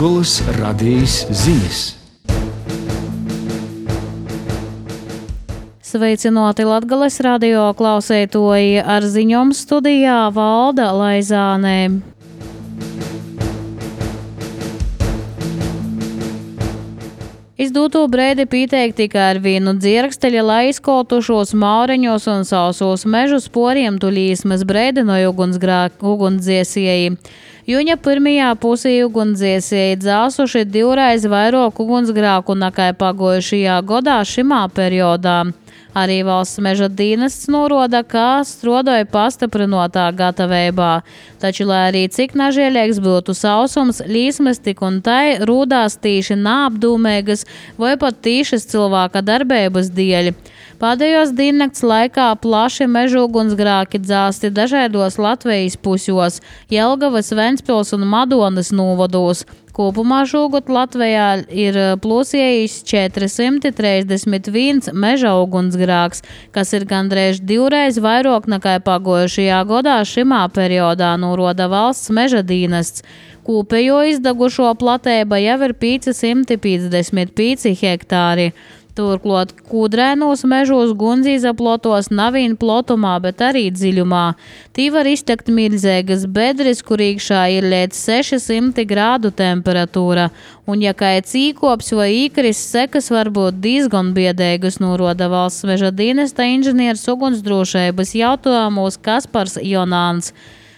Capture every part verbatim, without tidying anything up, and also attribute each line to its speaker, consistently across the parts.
Speaker 1: Latgolas radijas ziņas.
Speaker 2: Sveicināti Latgales radio klausētoji, ar ziņom studijā Valda Laizānē. Izdūto breidi pīteik tikai ar vienu dzirksteļa, lai izkotušos maureņos un sausos mežu sporiem tulīsmas breidi no ugunsdziesēji. Jūņa pirmajā pusī ugunsdziesēji dzāsuši divreiz vairāk ugunsgrāku nekā pagojušajā gadā šimā periodā. Arī valsts meža dienests norāda, ka strodoja pastiprinotā gatavībā. Taču, lai arī cik nažēlīgs būtu sausums, līsmas tik un tai rūdās tīši neapdūmēgas vai pat tīšas cilvēka darbības dēļ. Pēdējos diennakts laikā plaši meža ugunsgrāki dzāsti dažādos Latvijas pusjos, Jelgavas, Ventspils un Madonas novados. Kopumā šogad Latvijā ir plūsējis četri simti trīsdesmit viens meža ugunsgrāks, kas ir gandrīz divreiz vairāk nekā pagojušajā gadā šimā periodā, norāda valsts meža dienests. Kopējo izdegušo platība jau ir pieci simti piecdesmit pieci hektāri. Turklāt kūdrēnos mežos guns izaplotos nevien plotumā, bet arī dziļumā. Tī var iztekt milzīgas bedres, kur iekšā ir līdz seši simti grādu temperatūra. Un ja kā cīkops vai īkris, sekas var būt diezgan biedēgas, norāda valsts meža dienesta inženieris ugunsdrošības jautājumos Kaspars Jonāns.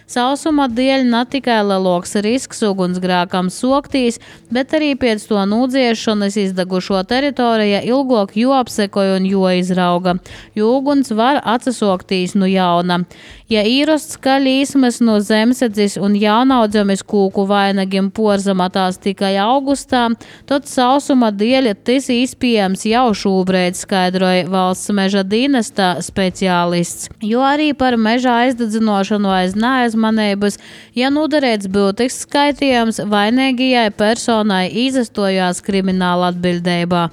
Speaker 2: Sausuma dēļ ne tikai lielāks risks ugunsgrākam soktīs, bet arī pēc to nūdziešanas izdegušo teritorija ilgāk joapsekoja un joizrauga, jo uguns var atsasoktīs no jauna. Ja īrosts, ka līsmas no zemsedzes un jaunaudzemes kūku vainagiem porzamatās tikai augustā, tad sausuma dēļ tas izpējams jau šobrīd, skaidroja valsts meža dienesta speciālists. Jo arī par meža aizdedzinošanu aiz neaizmanības, ja nodarīts būtisks skaitījums, vainīgajai personai izastojās krimināla atbildībā.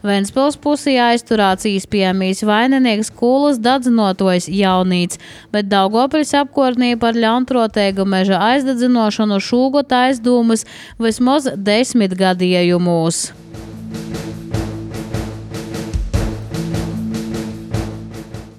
Speaker 2: Ventspils pusī aizturēts īspējamīs vaininieks Kūlas dadzinotojs Jaunīts, bet Daugavpils apkārtnī par ļaunprātīgu meža aizdedzinošanu šogad aizdomas vismaz desmit gadījumos.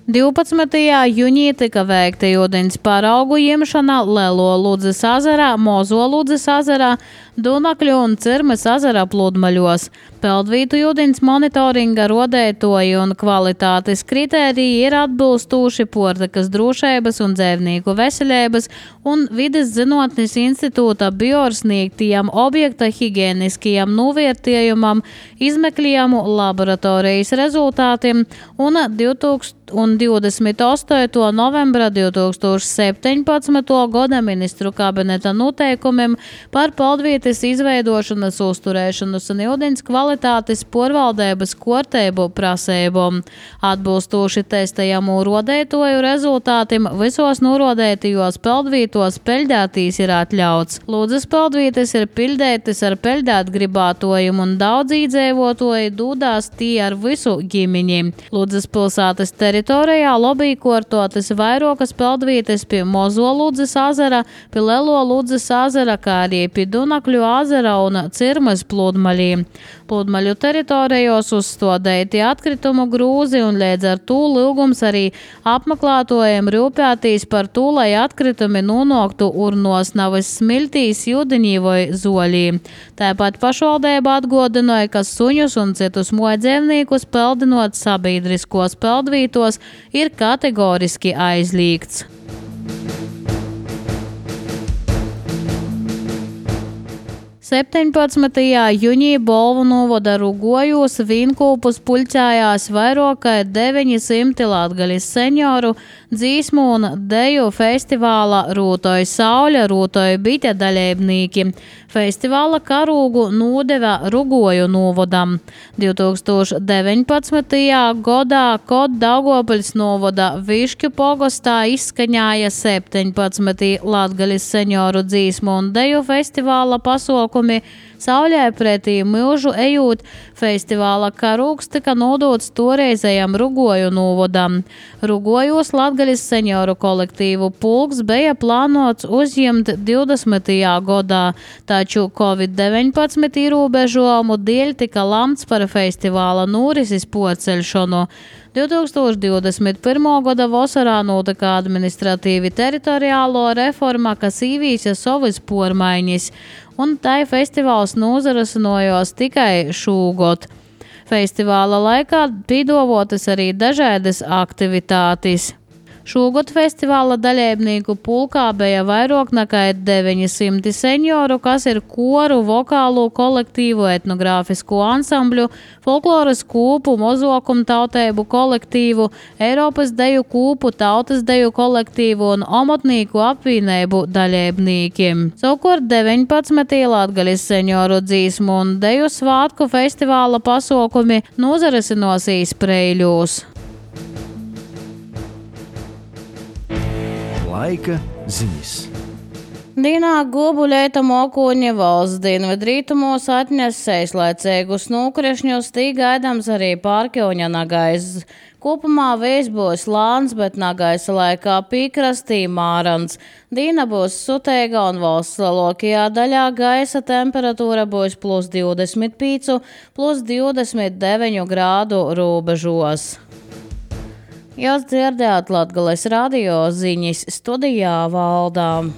Speaker 2: divpadsmitajā jūnijā tika veikta ūdens paraugu ņemšana Lielo Ludzes ezerā, Mozo Ludzes ezerā, Dunakļu un Cirmes ezera pludmaļos. Peldvītu ūdens monitoringa rodētoji un kvalitātes kritēriji ir atbilstoši portakas drošības un dzērnieku veselības un Vides zinātnes institūta biorsniegtajam objekta higieniskajam novērtējumam, izmeklējumu laboratorijas rezultātiem un divdesmit astoto novembra divi tūkstoši septiņpadsmitā gada ministru kabineta noteikumiem par peldvītes izveidošanas, uzturēšanas un ūdens kvalitātes porvaldības kārtību prasībām. Atbilstoši testējamu rodētoju rezultātiem visos norodētajos peldvītos peļdētīs ir atļauts. Ludzes peldvītes ir pildētas ar peļdēt gribātojiem un daudz iedzīvotoji dūdās tī ar visu ģimeni. Ludzes pilsētas teritorijā lobī kortotas vairākas peldvītes pie Mozo Ludzes ezera, pie Lielo Ludzes ezera, kā arī pie Dunakļu ezera un Cirmes pludmaļiem. Pludmaļu teritorijos uzstādīti atkritumu grūzi un līdz ar to lūgums arī apmeklētojiem rūpētīs par to, lai atkritumi nonāktu urnos, nevis smiltīs, ūdeņī vai zoļī. Tāpat pašvaldība atgādināja, ka suņus un citus mojdzīvniekus peldinot sabiedriskos peldvītos ir kategoriski aizliegts. septiņpadsmitajā jūnijā Bolvu novada Rugojos vīnkūpus puļķājās vairāk kā deviņi simti latgaļas senioru dzīsmu un deju festivāla Rūtoja Sauļa, Rūtoja Bite dalībnieki. Festivāla karūgu nodeva Rugoju novadam. divi tūkstoši deviņpadsmitajā gadā, kad Daugavpils novada Višķu pogostā izskaņāja septiņpadsmit latgaļas senioru dzīsmu un deju festivāla pasaukumu pasākumi. Sauļē pretī milžu ejot, festivāla karūks tika nodots toreizējam Rugoju novadam. Rugojos Latgalis senioru kolektīvu pulks bija plānots uzņemt divdesmitajā gadā, taču covid deviņpadsmit ierobežojumu dēļ tika lamts par festivāla norises porceļšanu. divtūkstoš divdesmit pirmā gada vasarā notika administratīvi teritoriālo reforma, kas īvīsa savas pormaiņas, un tai festivāls nozarasinojos tikai šūgot. Festivāla laikā pīdovotas arī dažādas aktivitātes. Šogad festivāla dalībnieku pulkā bija vairāk nekā deviņi simti senioru, kas ir koru, vokālu, kolektīvu, etnogrāfisku ansambļu, folkloras kūpu, mozokumu tautēbu kolektīvu, Eiropas deju kūpu, tautas deju kolektīvu un omotnīku apvienību dalībniekiem. Savukārt deviņpadsmitī Latgalis senioru dzīsmu un deju svātku festivāla pasākumi nozarasinosīs Preiļos.
Speaker 1: Laika ziņas.
Speaker 2: Dīnā Gobuļeita mokoņa valsts dienvidrītumos atnes seislaicīgus nūkrešņus, tī gaidams arī Pārkļoņa nagais. Kopumā vējs būs lāns, bet nagaisa laikā pīkrastī mārans. Dīna būs suteiga un valsts lielākajā daļā gaisa temperatūra būs plus divdesmit pieci, plus divdesmit deviņi grādu robežos. Jūs dzirdējāt Latgales radio ziņas, studijā Valdā.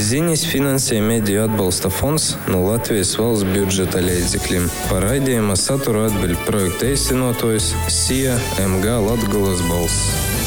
Speaker 3: Ziņas finansē Mediju atbalsta fonds no Latvijas valsts budžeta līdzekļiem. Par raidījuma saturu atbild projekta īstenotājs S I A M G Latgales balss.